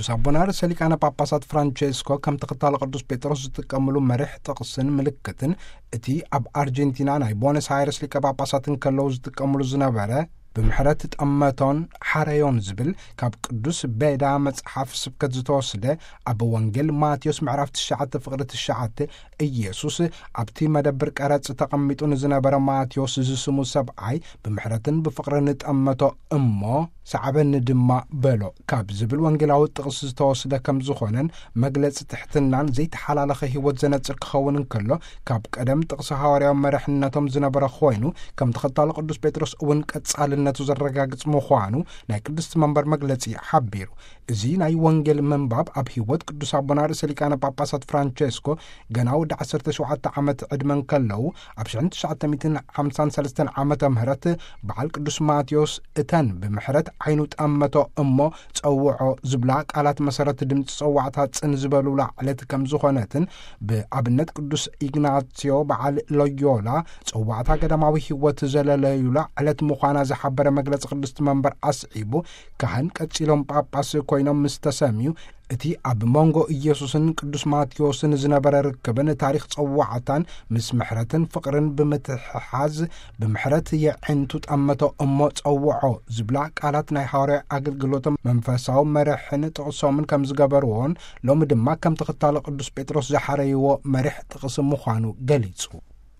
ቅዱስ ኣቦና ርእሰ ሊቃነ ጳጳሳት ፍራንቼስኮ ከም ተኸታሊ ቅዱስ ጴጥሮስ ዝጥቀምሉ መሪሕ ጥቕስን ምልክትን፣ እቲ ኣብ ኣርጀንቲና ናይ ቦነስ ኣይረስ ሊቀ ጳጳሳት እንከለዉ ዝጥቀምሉ ዝነበረ፣ "ብምሕረት ጠመቶን ሓረዮን" ዝብል ካብ ቅዱስ ቤዳ መጽሓፍ ስብከት ዝተወስደ፣ ኣብ ወንጌል ማቴዎስ ምዕራፍ ትሽዓተ ፍቕሪ ትሽዓተ፣ ኢየሱስ ኣብቲ መደብር ቀረጽ ተቐሚጡ ንዝነበረ ማቴዎስ ዝስሙ ሰብኣይ፣ "ብምሕረትን ብፍቕርን ጠመቶ እሞ ሰዓበኒ ድማ በሎ" ካብ ዝብል ወንጌላዊ ጥቕስ ዝተወስደ ከም ዝኾነን፣ መግለጺ ትሕትናን ዘይተሓላለኸ ህይወት ዘነጽር ክኸውን እንከሎ፣ ካብ ቀደም ጥቕሲ ሃዋርያዊ መርሕነቶም ዝነበረ ኮይኑ፣ ከም ተኸታሊ ቅዱስ ጴጥሮስ እውን ቀጻልነቱ ዘረጋግጽ ምዃኑ ናይ ቅድስቲ መንበር መግለጺ ሓቢሩ። እዚ ናይ ወንጌል ምንባብ ኣብ ህይወት ቅዱስ ኣቦና ርእሰ ሊቃነ ጳጳሳት ፍራንቼስኮ ገና ወዲ ዓሰርተ ሸውዓተ ዓመት ዕድመ እንከለዉ፣ ኣብ ሽሕን ትሽዓተ ሚእትን ሓምሳን ሰለስተን ዓመተ ምህረት በዓል ቅዱስ ማቴዎስ እተን "ብምሕረት ዓይኑ ጠመቶ እሞ ጸውዖ" ዝብላ ቃላት መሰረት ድምፂ ጸዋዕታ ጽን ዝበሉላ ዕለት ከም ዝኾነትን፣ ብኣብነት ቅዱስ ኢግናትዮ በዓል ሎዮላ ጸዋዕታ ገዳማዊ ህይወት ዘለለዩላ ዕለት ምዃና ዝሓበረ መግለጺ ቅድስቲ መንበር ኣስዒቡ፣ ካህን ቀጺሎም ጳጳስ ኮይኖም ምስ ተሰምዩ፣ እቲ ኣብ መንጎ ኢየሱስን ቅዱስ ማቴዎስን ዝነበረ ርክብን ታሪኽ ጸዋዕታን ምስ ምሕረትን ፍቕርን ብምትሕሓዝ፣ "ብምሕረት የዒንቱ ጠመቶ እሞ ጸውዖ" ዝብላ ቃላት ናይ ሃዋርያዊ ኣገልግሎቶም መንፈሳዊ መርሕን ጥቕሶምን ከም ዝገበርዎን፣ ሎሚ ድማ ከም ተኸታሊ ቅዱስ ጴጥሮስ ዝሓረይዎ መሪሕ ጥቕሲ ምዃኑ ገሊጹ።